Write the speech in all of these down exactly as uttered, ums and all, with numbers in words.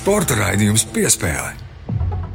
Sporta raidījums Piespēle.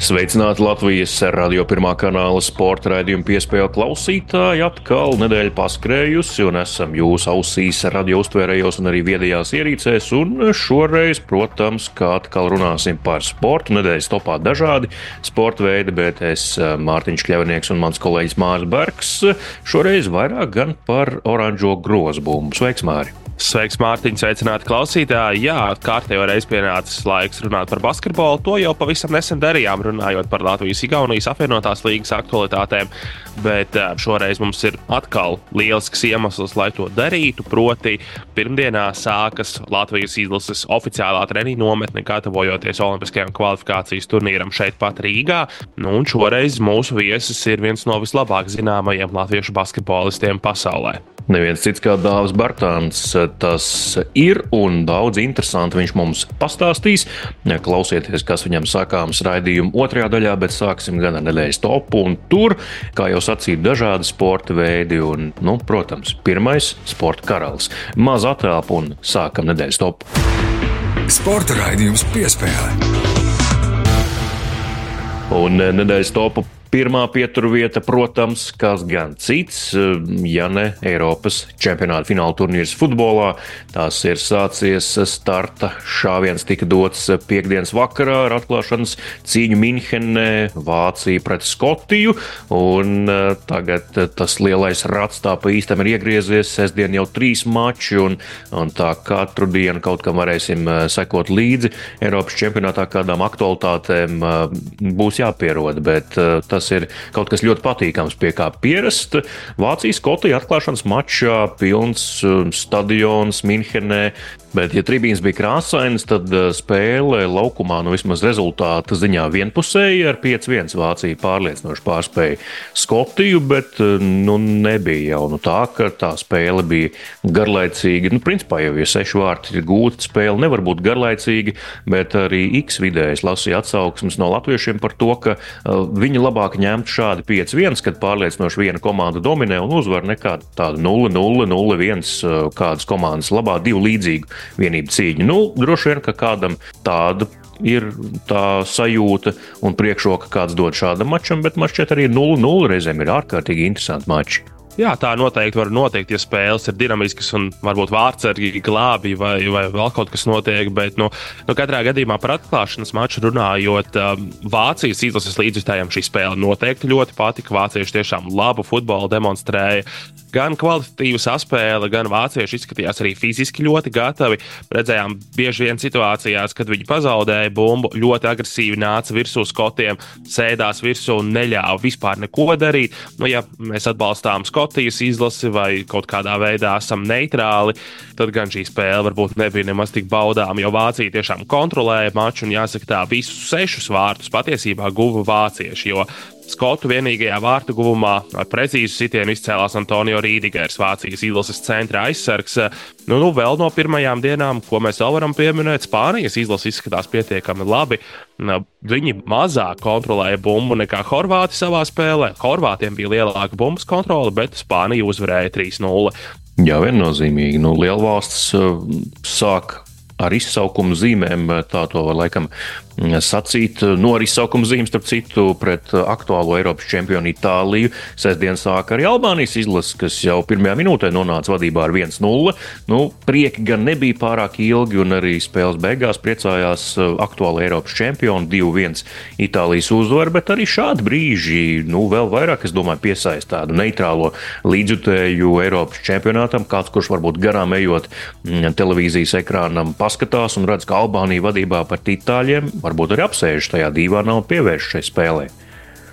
Sveicināti Latvijas radio pirmā kanāla sporta raidījuma Piespēle klausītāji. Atkal nedēļa paskrējusi un esam jūs ausīs, radio uztvērējos un arī viedajās ierīcēs. Un šoreiz, protams, kā atkal runāsim par sportu. Nedēļas topā dažādi sporta veidi, bet es, Mārtiņš Kļavnieks un mans kolēģis Māris Bergs, šoreiz vairāk gan par oranžo grozbumbu. Sveiks, Māri! Sveiks, Mārtiņ, sveicināti klausītāji. Jā, kārtējo reiz pienācis laiks runāt par basketbolu. To jau pavisam nesen darījām, runājot par Latvijas-Igaunijas apvienotās līgas aktualitātēm. Bet šoreiz mums ir atkal lielisks iemesls, lai to darītu. Proti, pirmdienā sākas Latvijas izlases oficiālā treniņu nometne, gatavojoties olimpiskajam kvalifikācijas turnīram šeit pat Rīgā. Nu, un šoreiz mūsu viesis ir viens no vislabāk zināmajiem latviešu basketbolistiem pasaulē. Neviens cits kā Dāvis Bartāns tas ir, un daudz interesanti viņš mums pastāstīs. Klausieties, kas viņam sakāms raidījuma otrajā daļā, bet sāksim gan ar nedēļas topu, un tur, kā jau sacīja, dažādi sporta veidi, un, nu, protams, pirmais sporta karalis. Maz atelpa un sākam nedēļas topu. Sporta raidījums Piespēle. Un nedēļas topu pirmā pieturvieta, protams, kas gan cits, ja ne Eiropas čempionāta fināla turnīrs futbolā. Tās ir sācies starta šāviens tika dots piektdienas vakarā ar atklāšanas cīņu Minhenē, Vācija pret Skotiju, un tagad tas lielais rats tā pa īstam ir iegriezies, sestdien jau trīs mači, un, un tā katru dienu kaut kam varēsim sekot līdzi. Eiropas čempionātā kādām aktualitātēm būs jāpierod, bet tas Tas ir kaut kas ļoti patīkams, pie kā pierast. Vācijas Skotija atklāšanas mačā pilns stadions Minhenē, bet, ja tribīns bija krāsainas, tad spēle laukumā, nu vismaz rezultāta ziņā vienpusēji ar pieci viens Vācija pārliecinoši pārspēja Skotiju, bet nu nebija jau nu tā, ka tā spēle bija garlaicīga. Nu, principā jau, ja seši vārti ir gūta spēle, nevar būt garlaicīga, bet arī X vidējais lasīja atsauksmes no latviešiem par to, ka uh, viņi labāk ņemt šādi pieci viens, kad pārliecinoši viena komanda dominē un uzvar nekā tāda nulle nulle, nulle viens kādas komandas labā, divu līdzīgu vienību cīņu. Nu, droši vien, ka kādam tāda ir tā sajūta un priekšroka kāds dod šādam mačam, bet mačs šķiet arī nulle nulle reizēm ir ārkārtīgi interesanti mači. Jā, tā noteikti var notikt, ja spēles ir dinamiskas un varbūt vārdsargi glābi vai, vai vēl kaut kas notiek, bet nu, nu katrā gadījumā par atklāšanas maču runājot, Vācijas izlases līdzjutējiem šī spēle noteikti ļoti patika. Vācieši tiešām labu futbolu demonstrēja. Gan kvalitatīva saspēle, gan vācieši izskatījās arī fiziski ļoti gatavi. Redzējām bieži vien situācijās, kad viņi pazaudēja bumbu, ļoti agresīvi nāca virsū Skotiem, sēdās virsū un neļāva vispār neko darīt. Nu, ja mēs atbalstām Skotijas izlasi vai kaut kādā veidā esam neitrāli, tad gan šī spēle varbūt nebija nemaz tik baudām, jo Vācija tiešām kontrolēja maču un jāsaka tā, visus sešus vārtus patiesībā guva vācieši, jo Skotu vienīgajā vārtu guvumā ar precīzu sitienu izcēlās Antonio Rīdigers, Vācijas izlases centra aizsargs. Nu, nu, vēl no pirmajām dienām, ko mēs vēl varam pieminēt, Spānijas izlase izskatās pietiekami labi. Viņi mazāk kontrolēja bumbu nekā Horvāti savā spēlē. Horvātiem bija lielāka bumbas kontrole, bet Spānija uzvarēja trīs nulle. Jā, viennozīmīgi. Nu, lielvalsts sāk ar izsaukumu zīmēm, tā to var laikam sacīt. No ar izsaukumu zīmes, starp citu, pret aktuālo Eiropas čempionu Itāliju. Sestdien sāk arī Albānijas izlases, kas jau pirmajā minūtē nonāca vadībā ar viens nulle. Nu, prieki gan nebija pārāk ilgi, un arī spēles beigās priecājās aktuāla Eiropas čempionu divi viens Itālijas uzvaru, bet arī šādi brīži, nu, vēl vairāk, es domāju, piesaist tādu neitrālo līdzjutēju Eiropas čempionātam, kāds, kurš varbūt garām ejot televīzijas ekrānam paskatās un redz, ka Albānija vadībā pret itāļiem varbūt arī apsēž tajā dīvānā un pievērš šai spēlē.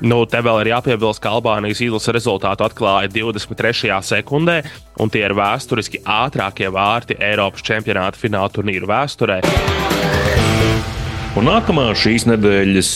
Nu, te vēl ir jāpiebilst, ka Albānijas izlase rezultātu atklāja divdesmit trešajā sekundē, un tie ir vēsturiski ātrākie vārti Eiropas čempionāta fināla turnīru vēsturē. Un nākamā šīs nedēļas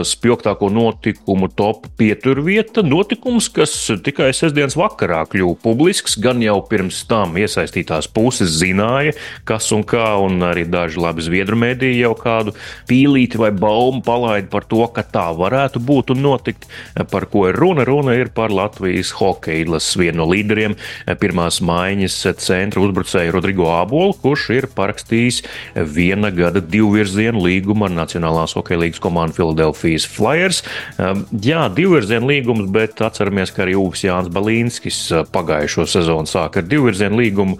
spilgtāko notikumu top pieturvieta - notikums, kas tikai sestdienas vakarā kļuva publisks, gan jau pirms tam iesaistītās puses zināja, kas un kā, un arī daži labi zviedru mediji jau kādu pīlīti vai baumu palaida par to, ka tā varētu būt un notikt. Par ko ir runa? Runa ir par Latvijas hokeja izlases vienu no līderiem, pirmās maiņas centra uzbrucēju Rodrigo Ābolu, kurš ir parakstījis viena gada divvirzienu līgumu ar Nacionālās hokeja līgas komandu Philadelphia Flyers. Jā, divvirzienu līgums, bet atceramies, ka arī Uvis Jānis Balīnskis pagājušo sezonu sāka ar divvirzienu līgumu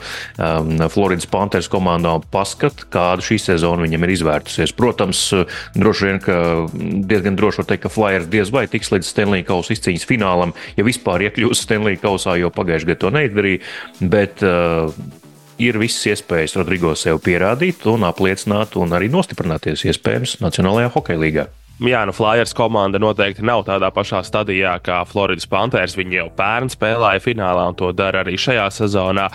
Floridas Panthers komandā, un paskat, kāda šī sezona viņam ir izvērtusies. Protams, droši vien, ka diezgan droši var teikt, ka Flyers diez vai tiks līdz Stanley Kausa izcīņas finālam, ja vispār iekļūs Stanley Kausā, jo pagājušajā gadā to neizdarīja, bet uh, ir visas iespējas Rodrigo sev pierādīt un apliecināt un arī nostiprināties iespējams Nacionālajā hokeja līgā. Jā, nu Flyers komanda noteikti nav tādā pašā stadijā kā Floridas Panthers. Viņi jau pērn spēlēja finālā un to dara arī šajā sezonā.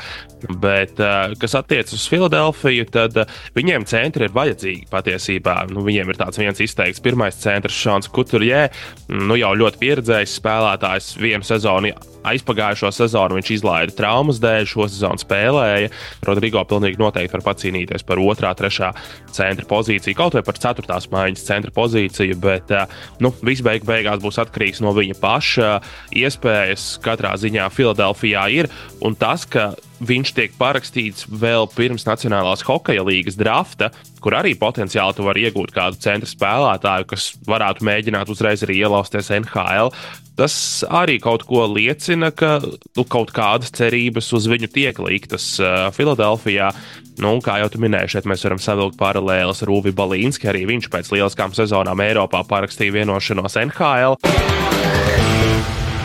Bet, kas attiecas uz Filadelfiju, tad viņiem centri ir vajadzīgi patiesībā. Nu, viņiem ir tāds viens izteikts pirmais centrs Šons Kuturjē, nu jau ļoti pieredzējis spēlētājs. Vienu sezonu, aizpagājušo sezonu viņš izlaida traumas dēļ, šo sezonu spēlēja. Rodrigo pilnīgi noteikti var pacīnīties par otrā, trešā centra pozīciju, kaut vai par ceturtās maiņas centra pozīciju, bet nu, viss beig beigās būs atkarīgs no viņa paša. Iespējas katrā ziņā Filadelfijā ir, un tas, ka viņš tiek parakstīts vēl pirms Nacionālās hokeja līgas drafta, kur arī potenciāli tu vari iegūt kādu centra spēlētāju, kas varētu mēģināt uzreiz arī ielausties N H L. Tas arī kaut ko liecina, ka nu, kaut kādas cerības uz viņu tiek liktas uh, Filadelfijā. Nu, kā jau tu minēji, šeit mēs varam savilkt paralēles ar Uvi Balīnski. Arī viņš pēc lieliskām sezonām Eiropā parakstīja vienošanos N H L.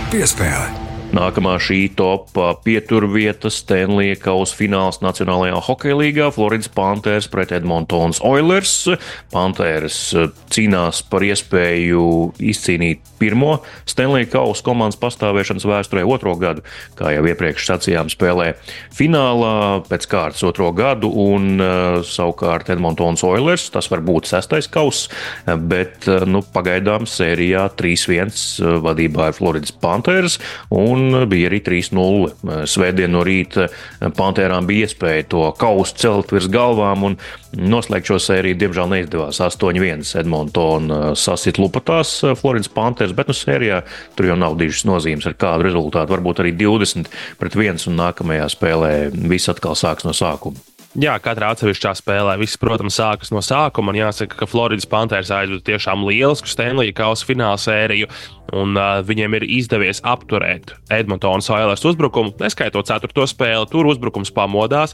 Piespēle. Nākamā šī top pieturvieta Stanley Kausa fināls Nacionālajā hokeja līgā - Floridas Panthers pret Edmontonas Oilers. Panthers cīnās par iespēju izcīnīt pirmo Stanley Kausa komandas pastāvēšanas vēsturē otro gadu, kā jau iepriekš sacījām, spēlē finālā pēc kārtas otro gadu, un uh, savukārt Edmontonas Oilers, tas var būt sestais kauss, bet uh, nu, pagaidām sērijā trīs viens vadībā ir Floridas Panthers, un bija arī trīs nulle. Svētdien no rīta Pantērām bija iespēja to kausu celt virs galvām un noslēgt šo sēriju, diemžēl neizdevās. astoņi viens Edmontona sasit lupatās Floridas Panthers, bet nu sērijā tur jau nav dižas nozīmes ar kādu rezultātu. Varbūt arī divdesmit pret viens, un nākamajā spēlē viss atkal sāks no sākuma. Jā, katrā atsevišķā spēlē viss, protams, sākas no sākuma. Man jāsaka, ka Floridas Panthers aizveda tiešām lielisku Stanley Kausa fināla sēriju, un uh, viņiem ir izdevies apturēt Edmontonas Oilers uzbrukumu, neskaitot ceturto spēli. Tur uzbrukums pamodās,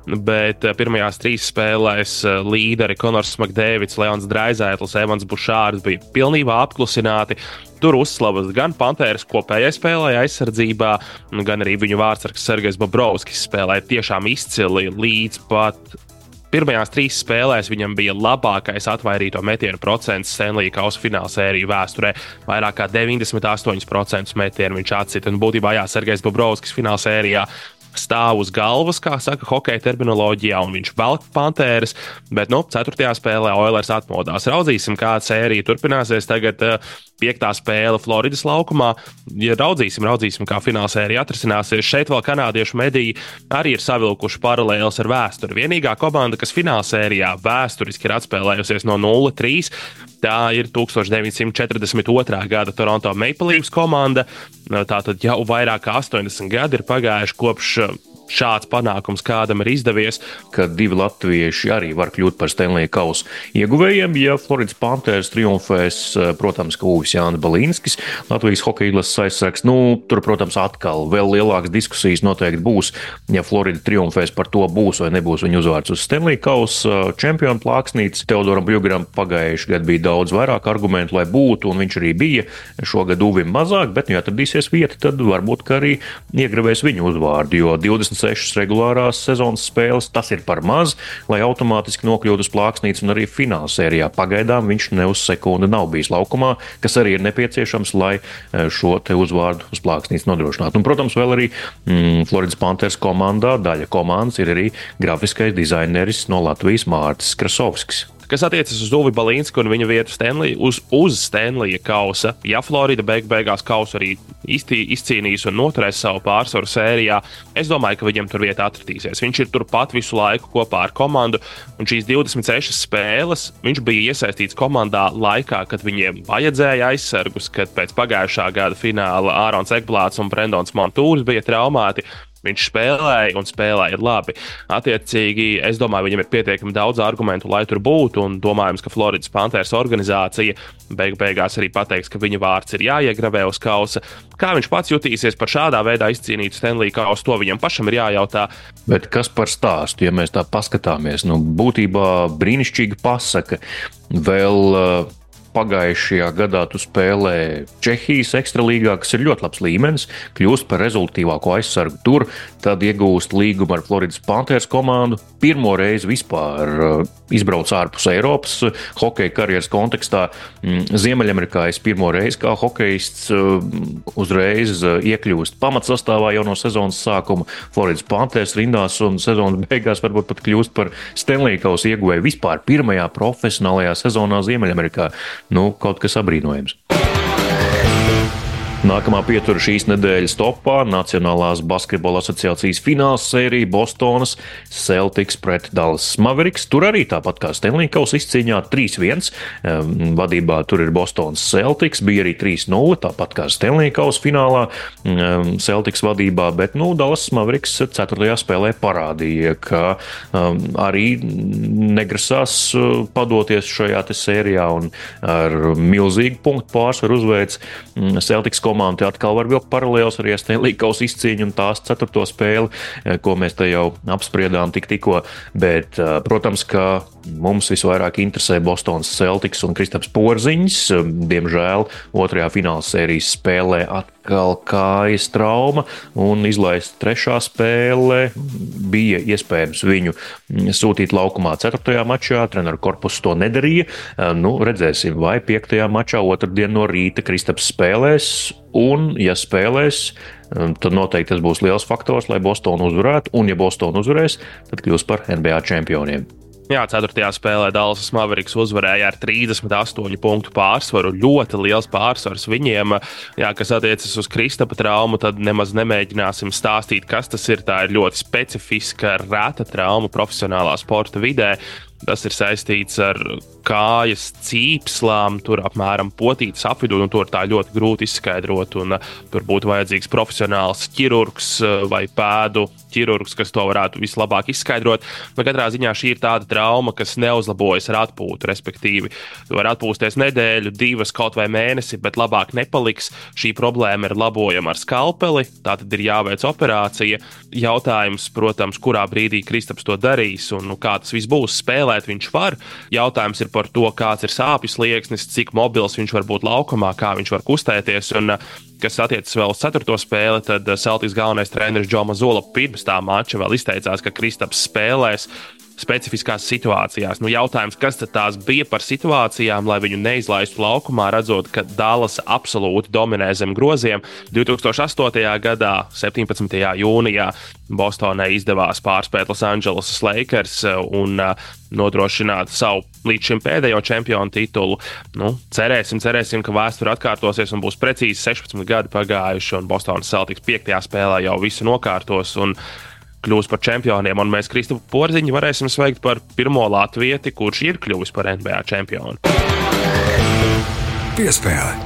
bet uh, pirmajās trīs spēlēs uh, līderi Konors Makdēvids, Leons Draizētls, Evans Bušārs bija pilnībā apklusināti. Tur uzslavas gan Panthers kopējai spēlē aizsardzībā, gan arī viņu vārdsargs Sergejs Bobrovskis spēlēja tiešām izcili līdz pat pirmajās trīs spēlēs. Viņam bija labākais atvairīto metienu procents Stanley Kausa fināla sēriju vēsturē. Vairāk kā deviņdesmit astoņi procenti metienu viņš atcita. Un būtībā jā, Sergejs Bobrovskis fināla sērijā stāv uz galvas, kā saka hokeja terminoloģijā, un viņš velk Panthers, bet, nu, ceturtajā spēlē Oilers atmodās. Raudzīsim, kā sērija turpināsies. Tagad uh, piektā spēle Floridas laukumā. Ja raudzīsim, raudzīsim, kā fināla sērija atrisināsies. Šeit vēl kanādiešu mediji arī ir savilkuši paralēles ar vēsturi. Vienīgā komanda, kas fināla sērijā vēsturiski ir atspēlējusies no nulle trīs, tā ir deviņdesmit četrdesmit otrā gada Toronto Maple Leafs komanda. Tātad jau vairāk kā astoņdesmit gadi ir pagājuši kopš šāds panākums kādam ir izdevies. Ka divi latvieši arī var kļūt par Stanley Kausa ieguvējiem, ja Floridas Panthers triumfēs, protams, ka Uvis Jānis Balīnskis, Latvijas hokeja izlases aizsargs. Nu, tur, protams, atkal vēl lielākas diskusijas noteikti būs, ja Florida triumfēs, par to būs vai nebūs viņa uzvārds uz Stanley Kausa čempionu plāksnītes. Teodoram Bļugaram pagājuši gadu bija daudz vairāk argumentu, lai būtu, un viņš arī bija. Šogad Uvim mazāk, bet, nu, ja atradīsies vieta, tad varbūt, ka arī iegravēs viņu uzvārdu, jo divdesmit sešas regulārās sezonas spēles, tas ir par maz, lai automātiski nokļūtu uz plāksnītes, un arī fināla sērijā pagaidām viņš ne uz sekundi nav bijis laukumā, kas arī ir nepieciešams, lai šo te uzvārdu uz plāksnītes nodrošinātu. Un, protams, vēl arī mm, Floridas Panthers komandā, daļa komandas ir arī grafiskais dizaineris no Latvijas Mārtis Krasovskis. Kas attiecas uz Uvi Balīnsku un viņa vietu Stanley, uz, uz Stanleya kausa, ja Florida beig beigās kausu arī iztī, izcīnīs un noturēs savu pārsvaru sērijā, es domāju, ka viņam tur vieta atradīsies. Viņš ir turpat visu laiku kopā ar komandu, un šīs divdesmit sešas spēles viņš bija iesaistīts komandā laikā, kad viņiem vajadzēja aizsargus, kad pēc pagājušā gada fināla Ārons Ekblāts un Brendons Montūrs bija traumēti. Viņš spēlēja un spēlēja labi. Attiecīgi, es domāju, viņam ir pietiekami daudz argumentu, lai tur būtu, un domājams, ka Floridas Panthers organizācija beig beigās arī pateiks, ka viņa vārds ir jāiegravē uz kausa. Kā viņš pats jutīsies par šādā veidā izcīnītu Stanley kausu, to viņam pašam ir jājautā. Bet kas par stāstu, ja mēs tā paskatāmies? Nu, būtībā brīnišķīga pasaka. Vēl uh... Pagājušajā gadā tu spēlē Čehijas ekstralīgā, kas ir ļoti labs līmenis, kļūst par rezultātīvāko aizsargu tur, tad iegūst līgumu ar Floridas Panthers komandu. Pirmo reizi vispār izbrauc ārpus Eiropas hokeja karjeras kontekstā. Ziemeļamerikā es pirmo reizi kā hokejists uzreiz iekļūst pamatsastāvā jau no sezonas sākuma Floridas Panthers rindās un sezonas beigās varbūt pat kļūst par Stanley kausa ieguvēju vispār pirmajā profesionālajā sezonā Ziemeļamerikā. Nu, kaut kas abrīnojams. Nākamā pietura šīs nedēļas topā - Nacionālās basketbola asociācijas fināls sērija Bostonas Celtics pret Dallas Mavericks. Tur arī tāpat kā Stanley kausa izcīņā trīs viens. Vadībā tur ir Bostonas Celtics, bija arī trīs nulle, tāpat kā Stanley kausa finālā Celtics vadībā, bet nu, Dallas Mavericks ceturtajā spēlē parādīja, ka arī negrasās padoties šajā te sērijā un ar milzīgu punktu pārsvaru uzveic Celtics komanda. Komanda atkal var vilkt paralēlus arī Stanley kausa izcīņu un tās ceturto spēli, ko mēs te jau apspriedām tik tikko, bet, protams, ka mums visvairāk interesē Bostonas Celtics un Kristaps Porziņš. Diemžēl otrajā fināla sērijas spēlē atkal kājas trauma un izlaist trešā spēle. Bija iespējams viņu sūtīt laukumā ceturtajā mačā, treneru korpus to nedarīja. Nu, redzēsim, vai piektajā mačā otrdien no rīta Kristaps spēlēs. Un, ja spēlēs, tad noteikti tas būs liels faktors, lai Bostonu uzvarētu. Un, ja Bostonu uzvarēs, tad kļūs par N B A čempioniem. Jā, ceturtajā spēlē Dallas Mavericks uzvarēja ar trīsdesmit astoņu punktu pārsvaru. Ļoti liels pārsvars viņiem. Jā, kas attiecas uz Kristapa traumu, tad nemaz nemēģināsim stāstīt, kas tas ir. Tā ir ļoti specifiska, reta trauma profesionālā sporta vidē. Tas ir saistīts ar kājas cīpslām, tur apmēram potītas apvidū, un to ir tā ļoti grūti izskaidrot, un uh, tur būtu vajadzīgs profesionāls ķirurgs uh, vai pēdu ķirurgs, kas to varētu vislabāk izskaidrot. Nu, katrā ziņā šī ir tāda trauma, kas neuzlabojas ar atpūtu, respektīvi. Tu vari atpūsties nedēļu, divas, kaut vai mēnesi, bet labāk nepaliks. Šī problēma ir labojama ar skalpeli, tā tad ir jāveic operācija. Jautājums, protams, kurā brīdī Kristaps to darīs, un nu, kā tas viss būs, spēlēt viņš var. Jautājums ir par to, kāds ir sāpju slieksnis, cik mobils viņš var būt laukumā, kā viņš var kustēties, un kas attiecas vēl uz ceturto spēli, tad Celtics galvenais treneris Joe Mazzulla pirms tā mača vēl izteicās, ka Kristaps spēlēs specifiskās situācijās. Nu, jautājums, kas tad tās bija par situācijām, lai viņu neizlaistu laukumā, redzot, ka Dallas absolūti dominē zem groziem. divi tūkstoši astotajā gadā, septiņpadsmitajā jūnijā, Bostonai izdevās pārspēt Los Angeles Lakers un uh, nodrošināt savu līdz šim pēdējo čempionu titulu. Nu, cerēsim, cerēsim, ka vēsture atkārtosies un būs precīzi sešpadsmit gadi pagājuši, un Bostonas Celtics piektajā spēlē jau visu nokārtos un kļūs par čempioniem, un mēs Kristapu Porziņu varēsim sveikt par pirmo latvieti, kurš ir kļuvis par N B A čempionu. Piespēle.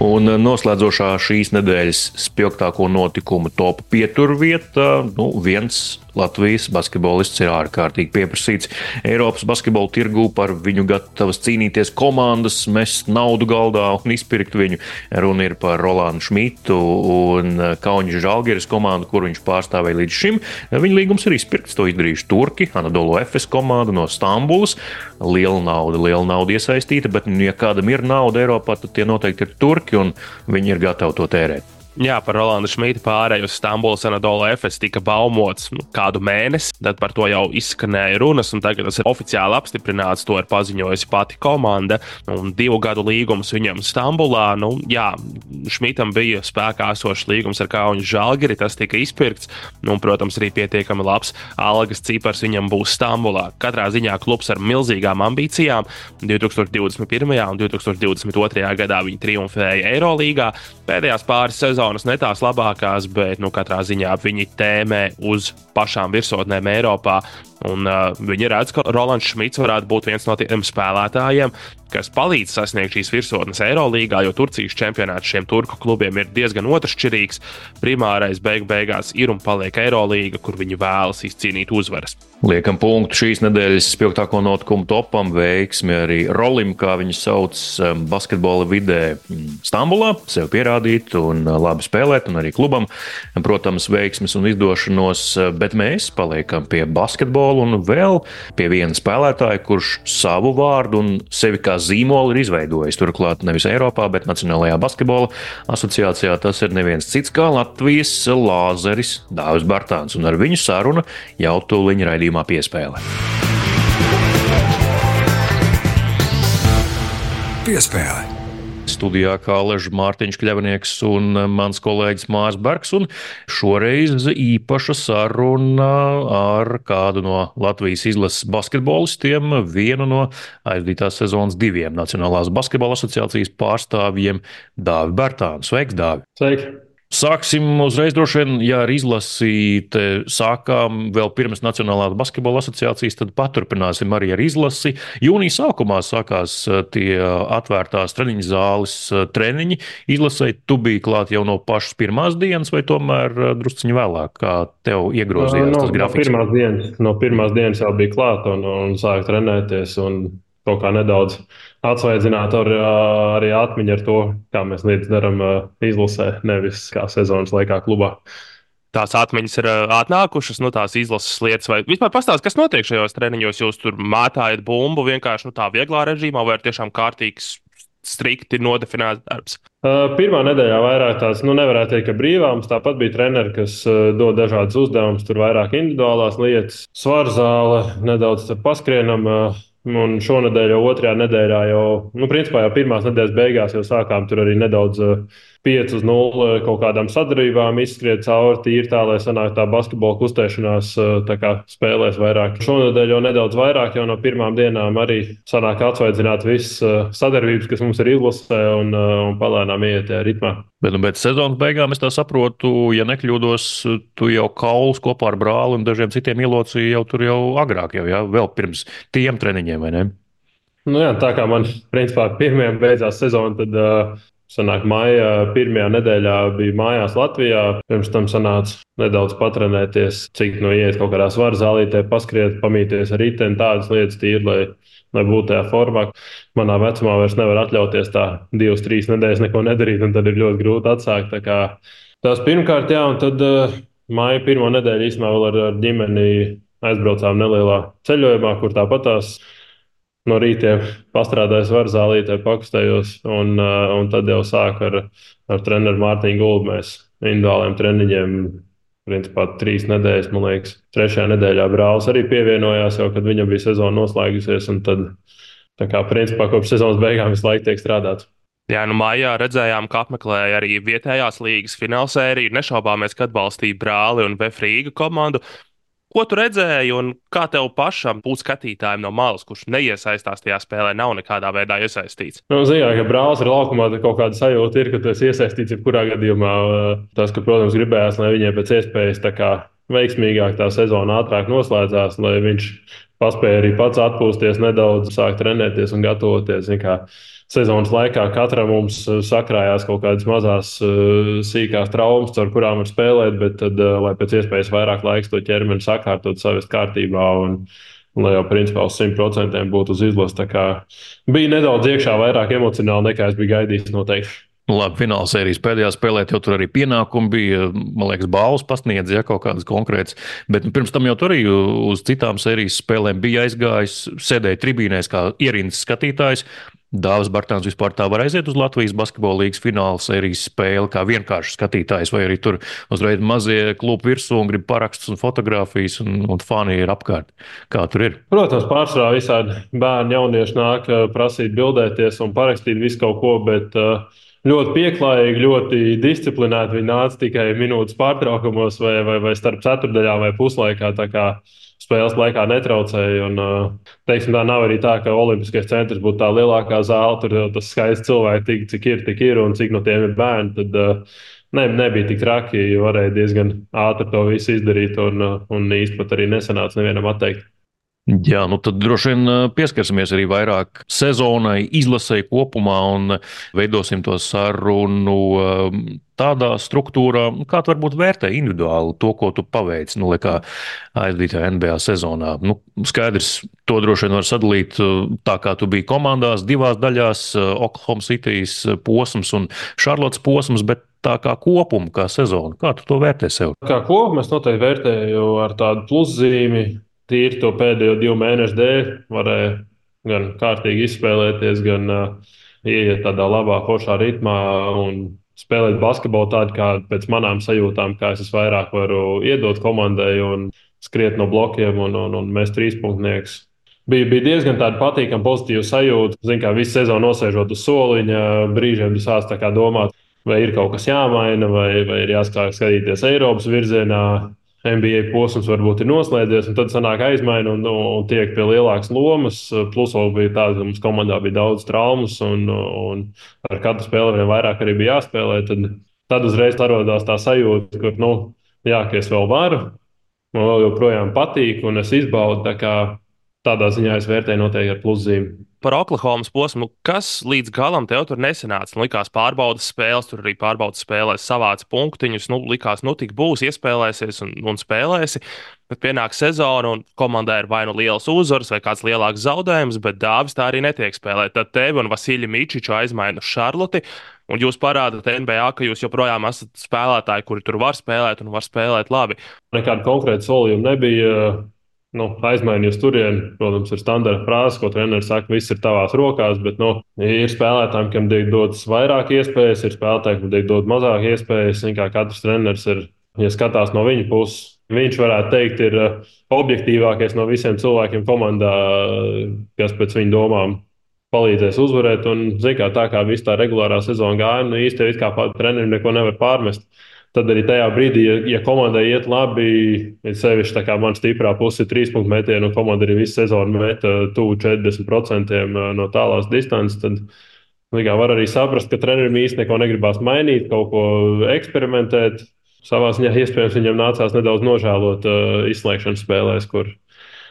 Un noslēdzošā šīs nedēļas spilgtāko notikumu topa pieturvieta, nu, viens Latvijas basketbolists ir ārkārtīgi pieprasīts Eiropas basketbola tirgū, par viņu gatavas cīnīties komandas, mest naudu galdā un izpirkt viņu. Runa ir par Rolandu Šmitu un Kaunas Žalgiris komandu, kur viņš pārstāvēja līdz šim. Viņa līgums ir izpirkts, to izdarījuši turki, Anadolu Efes komanda no Stambulas. Liela nauda, liela nauda iesaistīta, bet, ja kādam ir nauda Eiropā, tad tie noteikti ir turki, un viņi ir gatavi to tērēt. Jā, par Rolandu Šmītu pārēju uz Stambulas Anadolu Efes tika baumots nu, kādu mēnesi, tad par to jau izskanēja runas, un tagad tas ir oficiāli apstiprināts. To ir paziņojusi pati komanda, un divu gadu līgums viņam Stambulā. Nu, jā, Šmītam bija spēkā esošs līgums ar Kaunas Žalgiri, tas tika izpirkts, nu, un, protams, arī pietiekami labs algas cipars viņam būs Stambulā. Katrā ziņā klubs ar milzīgām ambīcijām. divi tūkstoši divdesmit pirmajā un divi tūkstoši divdesmit otrajā gadā viņi triumfēja Eirolīgā. Pēdējās pāris sezonas ne tās labākās, bet nu, katrā ziņā viņi tēmē uz pašām virsotnēm Eiropā. Un, uh, viņi redz, ka Rolands Šmits varētu būt viens no tiem spēlētājiem, kas palīdz sasniegt šīs virsotnes Eirolīgā, jo Turcijas čempionāts šiem turku klubiem ir diezgan otršķirīgs. Primārais beig beigās ir un paliek Eirolīga, kur viņi vēlas izcīnīt uzvaras. Liekam punktu šīs nedēļas spilgtāko notikumu topam, veiksmi arī Rolim, kā viņu sauc basketbola vidē Stambulā, sev pierādīt un labi spēlēt, un arī klubam, protams, veiksmes un izdošanos, bet mēs paliekam pie basketbola un vēl pie viena spēlētāja, kurš savu vārdu un sevi kā zīmolu ir izveidojis. Turklāt nevis Eiropā, bet Nacionālajā basketbola asociācijā tas ir neviens cits kā Latvijas Lāzeris Dāvis Bartāns, un ar viņu saruna jau tūliņ raidījumā Piespēle. Piespēle. Studijā kā Aležs Mārtiņš Kļavnieks un mans kolēģis Mārs Bergs, un šoreiz īpaša saruna ar kādu no Latvijas izlases basketbolistiem, vienu no aizdītās sezonas diviem Nacionālās basketbola asociācijas pārstāvjiem Dāvi Bartānu. Sveiks, Dāvi! Sveiki! Sāksim uzreiz droši vien, ja ar izlasi sākām vēl pirms Nacionālās basketbola asociācijas, tad paturpināsim arī ar izlasi. Jūnija sākumā sākās tie atvērtās treniņu zāles treniņi. Izlasē tu biji klāt jau no pašas pirmās dienas vai tomēr drusciņi vēlāk, kā tev iegrozījās no, tas grafiks? No pirmās dienas, no pirmās dienas jau bija klāt un, un sāk trenēties un kaut kā nedaudz atsvaidzināt ar, arī atmiņu ar to, kā mēs lietas darām izlasē, nevis kā sezonas laikā klubā. Tās atmiņas ir atnākušas, nu, tās izlases lietas, vai vispār pastāst, kas notiek šajos treniņos? Jūs tur mētājat bumbu vienkārši nu, tā vieglā režīmā, vai ir tiešām kārtīgs, strikti nodefinēts darbs? Pirmā nedēļā vairāk tās, nu, nevarētu teikt, ka brīvāms. Tāpat bija treneri, kas dod dažādas uzdevumus, tur vairāk individuālās lietas, svarzāle, nedaudz paskrienam. Un šonadēļ jau otrajā nedēļā, jau, nu, principā jau pirmās nedēļas beigās jau sākām tur arī nedaudz pieci uz nulli kaut kādām sadarbībām izskriet cauri tīri tā, lai sanāk tā basketbola kustēšanās tā kā spēlēs vairāk. Šonadēļ jau nedaudz vairāk, jau no pirmām dienām arī sanāk atsvaidzināt visas sadarbības, kas mums ir izlasē un, un palēnām iet tajā ritmā. Bet, nu, bet sezonas beigām es tā saprotu, ja nekļūdos, tu jau kaulus kopā ar brāli un dažiem citiem ielocīji jau tur jau agrāk, jau, ja? Vēl pirms tiem treniņiem, vai ne? Nu jā, tā kā man principā pirmajam beidzās sezona, tad uh, sanāk maija pirmajā nedēļā bija mājās Latvijā. Pirms tam sanāca nedaudz patrenēties, cik no iet kaut kādā svaru zālītē, paskriet, pamīties ar riteni, tādas lietas tīri, lai, lai būtu tajā formā. Manā vecumā vairs nevar atļauties tā divas, trīs nedēļas neko nedarīt, un tad ir ļoti grūti atsākt. Tā kā tās pirmkārt, jā, un tad uh, maija pirmo nedēļu īstenībā vēl ar, ar ģimeni aizbraucām nelielā ceļojumā, kur tāpat tās no rītiem pastrādāju svaru zālītē, pakustējos, un, uh, un tad jau sāku ar, ar treneru Mārtiņu Gulbu mēs individuāliem treniņiem. Principā trīs nedēļas, man liekas, trešajā nedēļā brālis arī pievienojās, jau kad viņam bija sezona noslēgusies, un tad, tā kā principā kopš sezonas beigām visu laiku tiek strādāts. Jā, nu mājā redzējām, ka apmeklēja arī vietējās līgas finālsēriju. Nešaubāmies, ka atbalstīja brāli un Vefrīga komandu. Ko tu redzēji un kā tev pašam būt skatītājiem no malas, kurš neiesaistās tajā spēlē, nav nekādā veidā iesaistīts? Nu, zināt, ka brālis ir laukumā, tad kaut kāda sajūta ir, ka tu esi iesaistīts jebkurā gadījumā. Tas, ka, protams, gribējās, lai viņiem pēc iespējas tā kā veiksmīgāk tā sezona ātrāk noslēdzās, lai viņš paspēja arī pats atpūsties nedaudz, sākt trenēties un gatavoties. Sezonas laikā katram mums sakrājās kaut kādas mazās sīkās traumas, ar kurām var spēlēt, bet tad, lai pēc iespējas vairāk laiks to ķermeni sakārtot savas kārtībā un, un lai jau principā uz simt procentiem būtu uz izlases. Tā kā bija nedaudz iekšā vairāk emocionāli nekā es biju gaidījis noteikti. Labi, fināla sērijas pēdējā spēlē jau tur arī pienākumi bija, man liekas, balvas pasniedz, ja kaut kādas konkrētas, bet pirms tam jau tur arī uz citām sērijas spēlēm bija aizgājis, sēdēja tribīnēs kā ierindas skatītājs. Dāvis Bartāns vispār tā var aiziet uz Latvijas basketbola līgas fināla sērijas spēli, kā vienkārši skatītājs, vai arī tur uzreiz mazie klubi virsū un grib parakstus un fotogrāfijas, un, un fani ir apkārt. Kā tur ir? Protams, pārsvarā visādi bērni, jaunieši nāk prasīt bildēties un parakstīt visu kaut ko, bet ļoti pieklājīgi, ļoti disciplinēti viņi nāca tikai minūtes pārtraukumos vai, vai, vai starp ceturdaļā vai puslaikā. Spēles laikā netraucēja. Un, teiksim, tā nav arī tā, ka Olimpiskais centrs būtu tā lielākā zāle. Tur tas skaists cilvēki, tik, cik ir, tik ir un cik no tiem ir bērni. Tad ne, nebija tik traki, jo varēja diezgan ātri to visu izdarīt. Un, un īsti pat arī nesanāca nevienam atteikt. Jā, nu tad droši vien pieskarsimies arī vairāk sezonai, izlasē kopumā un veidosim to sarunu tādā struktūrā, kā tu varbūt vērtē individuāli to, ko tu paveici, nu, kā aizdītajā N B A sezonā. Nu, skaidrs, to droši vien var sadalīt tā, kā tu biji komandās, divās daļās, Oklahoma Citys posms un Šarlotas posms, bet tā kā kopumu, kā sezonu, kā tu to vērtē sev? Kā kopumu es noteikti vērtēju ar tādu pluszīmi. Tīri to pēdējo divu mēnešu dēļ varēja gan kārtīgi izspēlēties, gan uh, ieiet tādā labā, foršā ritmā un spēlēt basketbolu tādu, kā pēc manām sajūtām, kā es vairāk varu iedot komandai un skriet no blokiem un, un, un mest trīspunktniekus. Bija, bija diezgan tāda patīkama, pozitīva sajūta. Zinu, kā visu sezonu nosēžot uz soliņa, brīžiem tu sāc tā kā domāt, vai ir kaut kas jāmaina, vai, vai ir jāskāk skatīties Eiropas virzienā. N B A posms varbūt ir noslēdzies, un tad sanāk aizmaina un, un tiek pie lielākas lomas. Plus vēl bija tāda, ka mums komandā bija daudz traumas, un, un ar katru spēli vien vairāk arī bija jāspēlē. Tad, tad uzreiz radās tā sajūta, ka, nu, jā, ka es vēl varu, man vēl joprojām patīk, un es izbaudu. Tā kā tādā ziņā es vērtēju noteikti ar pluszīmi. Par Oklahomas posmu, kas līdz galam tev tur nesanāca? Likās pārbaudas spēles, tur arī pārbaudas spēlēs savāca punktiņus. Nu, likās, nu tik būs, iespēlēsies un, un spēlēsi. Bet pienāk sezona un komandai ir vai nu liels uzvars vai kāds lielāks zaudējums, bet Dāvis tā arī netiek spēlēt. Tad tevi un Vasilju Mičiču aizmaina uz Šarloti. Un jūs parādāt N B A, ka jūs joprojām esat spēlētāji, kuri tur var spēlēt un var spēlēt labi. Nekāda konkrēta solījuma nebija. Nu, aizmainījis turieni, protams, ir standarta frāze, ko treneris saka, viss ir tavās rokās, bet nu, ir spēlētājiem, kam tiek dotas vairāk iespējas, ir spēlētājiem, kam tiek dotas mazāk iespējas. Kā katrs treneris ir, ja skatās no viņa puses, viņš varētu teikt, ir objektīvākais no visiem cilvēkiem komandā, kas pēc viņa domām palīdzēs uzvarēt. Un, kā tā kā viss tā regulārā sezona gāja, nu, īsti kā trenerim neko nevar pārmest. Tad arī tajā brīdī, ja, ja komandai iet labi, ir sevišķi tā kā man stiprā puse ir trīs punktu metienu, un komanda arī visu sezonu meta tuvu četrdesmit procentiem no tālās distances, tad kā, var arī saprast, ka trenerim īsti neko negribās mainīt, kaut ko eksperimentēt. Savā ziņā iespējams viņam nācās nedaudz nožēlot uh, izslēgšanas spēlēs, kur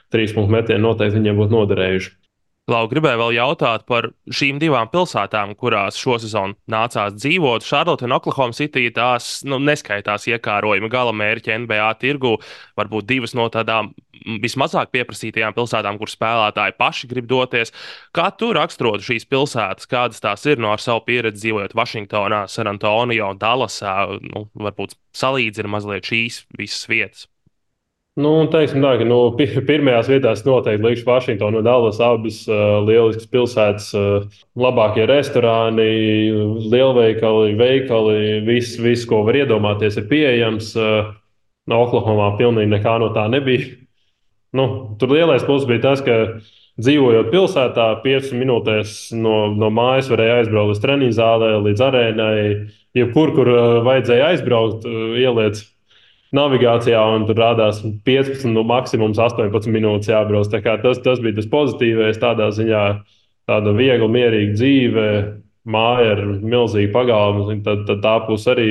trīs punktu metieni noteikti viņiem būtu noderējuši. Lau, gribēju vēl jautāt par šīm divām pilsētām, kurās šosezon nācās dzīvot. Šarlote un Oklahoma City tās nu, neskaitās iekārojumi gala mērķi N B A tirgu. Varbūt divas no tādām vismazāk pieprasītajām pilsētām, kur spēlētāji paši grib doties. Kā tu raksturotu šīs pilsētas, kādas tās ir no ar savu pieredzi dzīvojot Vašingtonā, San Antonio, Dallasā? Nu, varbūt salīdzina mazliet šīs visas vietas. Nu, teiksim tā, ka nu, pirmajās vietās noteikti likšu Vašingtonu un Dallas, abas uh, lieliskas pilsētas, uh, labākie restorāni, lielveikali, veikali, viss, vis, ko var iedomāties, ir pieejams. Uh, no Oklahomā pilnīgi nekā no tā nebija. Nu, tur lielais pluss bija tas, ka dzīvojot pilsētā, piecas minūtēs no, no mājas varēja aizbraukt līdz treniņu zālē, līdz arēnai, jebkur, kur uh, vajadzēja aizbraukt, uh, ieliec navigācijā, un tur rādās piecpadsmit, nu, maksimums astoņpadsmit minūtes jābrauc. Tas, tas bija tas pozitīvais. Tādā ziņā tāda viegla, mierīga dzīve, māja ar milzīgu pagalmu. Tad, tad tā būs arī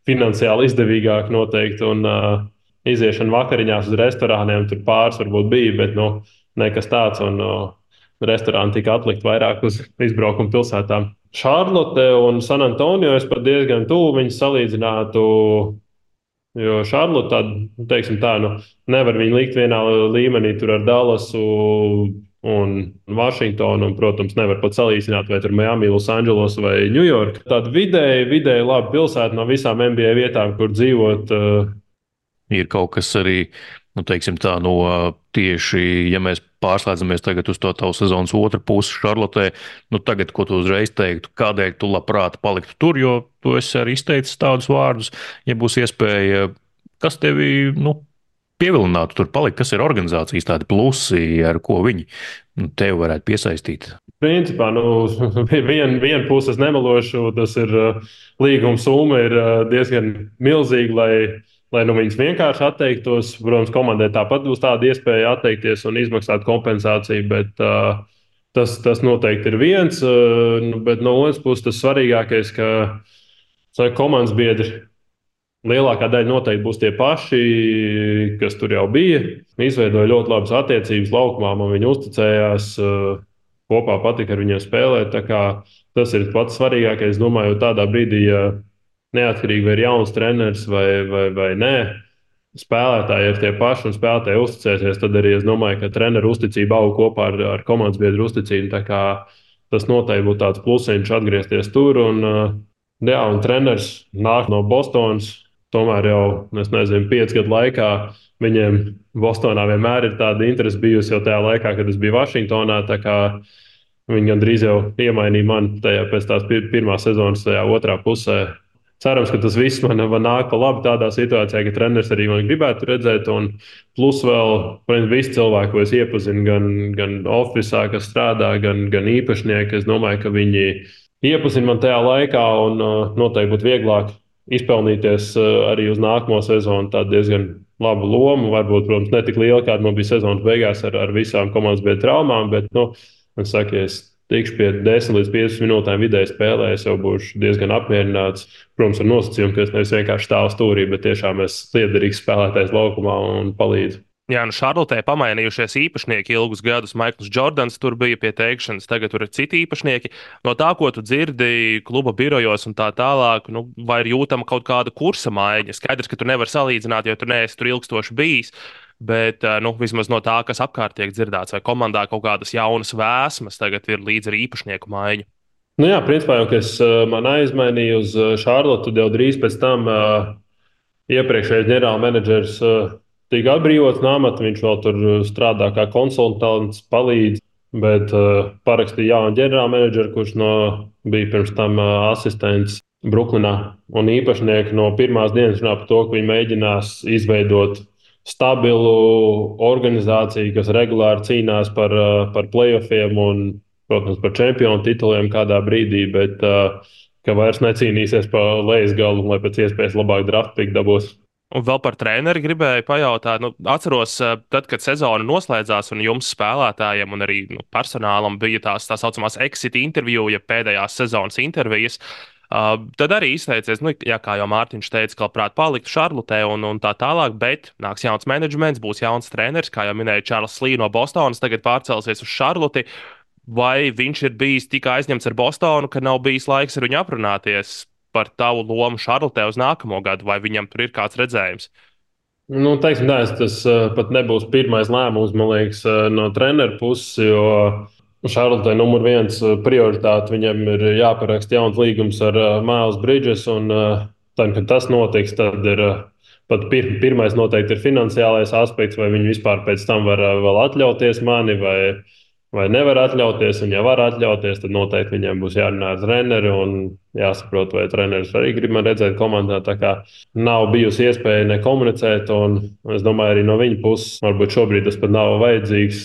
finansiāli izdevīgāk noteikti. Un uh, iziešana vakariņās uz restorāniem tur pāris varbūt bija, bet nu, nekas tāds. Un uh, restorāni tika atlikt vairāk uz izbraukumu pilsētām. Šarlote un San Antonio es pat diezgan tuvu viņus salīdzinātu. Jo Šarlote tādu, teiksim tā, nu, nevar viņu likt vienā līmenī tur ar Dallasu un Vašingtonu, un, protams, nevar pat salīdzināt, vai tur Miami, Losandželos vai Ņujorka. Tāda vidēji, vidēji laba pilsēta no visām N B A vietām, kur dzīvot. Uh... Ir kaut kas arī, nu, teiksim tā, no tieši, ja mēs pārslēdzamies tagad uz to tavu sezonas otru pusi Šarlotē. Nu, tagad, ko tu uzreiz teiktu, kādēļ tu labprāt paliktu tur, jo tu esi arī izteicis tādus vārdus, ja būs iespēja, kas tevi, nu, pievilinātu tur palikt, kas ir organizācijas tādi plusi, ar ko viņi nu, tevi varētu piesaistīt? Principā, nu, viena vien puse es nemelošu, tas ir līguma summa ir diezgan milzīga, lai, lai nu, viņas vienkārši atteiktos. Protams, komandai tāpat būs tāda iespēja atteikties un izmaksāt kompensāciju, bet uh, tas, tas noteikti ir viens. Uh, bet no otras puses, tas svarīgākais, ka so, komandas biedri lielākā daļa noteikti būs tie paši, kas tur jau bija. Izveidoja ļoti labas attiecības laukumā, man viņi uzticējās. Uh, Kopā patika ar viņiem spēlēt. Tas ir pats svarīgākais. Es domāju, tādā brīdī, ja neatkarīgi vai ir jauns treneris vai, vai, vai nē, spēlētāji ir tie paši un spēlētāji uzticēsies, tad arī es domāju, ka treneru uzticība aug kopā ar, ar komandas biedru uzticību. Tas noteikti būtu tāds plusiņš atgriezties tur. Un, jā, un treneris nāk no Bostonas. Tomēr jau, es nezinu, piecu gadu laikā viņiem Bostonā vienmēr ir tāda interese bijusi jau tajā laikā, kad es biju Vašingtonā. Viņi gandrīz jau iemainīja mani tajā pēc tās pir pirmās sezonas, tajā otrā pusē. Cerams, ka tas viss man, man nāk pa labi tādā situācijā, ka treneris arī man gribētu redzēt. Un plus vēl, protams, visi cilvēki, ko es iepazinu, gan, gan ofisā, kas strādā, gan, gan īpašnieki. Es domāju, ka viņi iepazina man tajā laikā un uh, noteikti būtu vieglāk izpelnīties uh, arī uz nākamo sezonu. Tā diezgan laba loma. Varbūt, protams, ne tik liela, kāda man bija sezonas beigās ar, ar visām komandas biedru traumām, bet, nu, man saka, ja es tikšu pie desmit līdz piecpadsmit minūtēm vidēji spēlē, es jau būšu diezgan apmierināts. Protams, ar nosacījumu, ka es nevis vienkārši stāvu stūrī, bet tiešām es liederīgs spēlētājs laukumā un palīdzu. Jā, nu Šarlotē pamainījušies īpašnieki ilgus gadus. Maikls Džordans tur bija pie teikšanas, tagad tur ir citi īpašnieki. No tā, ko tu dzirdi kluba birojos un tā tālāk, nu, vai ir jūtama kaut kāda kursa maiņa? Skaidrs, ka tu nevari salīdzināt, jo tu neesi tur ilgstoši bijis. Bet nu, vismaz no tā, kas apkārt tiek dzirdēts, vai komandā kaut kādas jaunas vēsmas tagad ir līdz ar īpašnieku maiņu. Nu jā, principā jau, ka es man aizmainīju uz Šarlotu, tad jau drīz pēc tam uh, iepriekšējais ģenerālmenedžers uh, tika atbrīvots no amata. Viņš vēl tur strādā kā konsultants, palīdz, bet uh, parakstīja jaunu ģenerālmenedžeru, kurš no, bija pirms tam uh, asistents Bruklinā. Un īpašnieki no pirmās dienas runā par to, ka viņi mēģinās izveidot stabilu organizāciju, kas regulāri cīnās par, uh, par playoffiem un, protams, par čempionu tituliem kādā brīdī, bet uh, ka vairs necīnīsies par lejas galu, lai pēc iespējas labāk draft pick dabūs. Un vēl par treneri gribēju pajautāt. Nu, atceros, tad, kad sezona noslēdzās un jums spēlētājiem un arī nu, personālam bija tās tā saucamās exit interviju, ja pēdējās sezonas intervijas, uh, tad arī izteicies, nu, jā, kā jau Mārtiņš teica, ka labprāt paliktu Šarlotē un, un tā tālāk, bet nāks jauns menedžments, būs jauns treneris, kā jau minēja Čārls Lī no Bostonas, tagad pārcelsies uz Šarloti. Vai viņš ir bijis tik aizņemts ar Bostonu, ka nav bijis laiks ar viņu aprunāties par tavu lomu Šarlotē uz nākamo gadu, vai viņam tur ir kāds redzējums? Nu, teiksim, tā, tas uh, pat nebūs pirmais lēmums, man liekas, uh, no treneru puses, jo Šarlotē numur viens uh, prioritāte viņam ir jāparaksta jauns līgums ar uh, Miles Bridges, un uh, tad, kad tas notiks, tad ir uh, pat pir pirmais noteikti ir finansiālais aspekts, vai viņi vispār pēc tam var uh, vēl atļauties mani, vai vai nevar atļauties, un ja var atļauties, tad noteikti viņiem būs jārunā ar treneri un jāsaprot, vai treneris arī grib man redzēt komandā. Tā kā nav bijusi iespēja nekomunicēt, un es domāju, arī no viņa puses varbūt šobrīd tas pat nav vajadzīgs,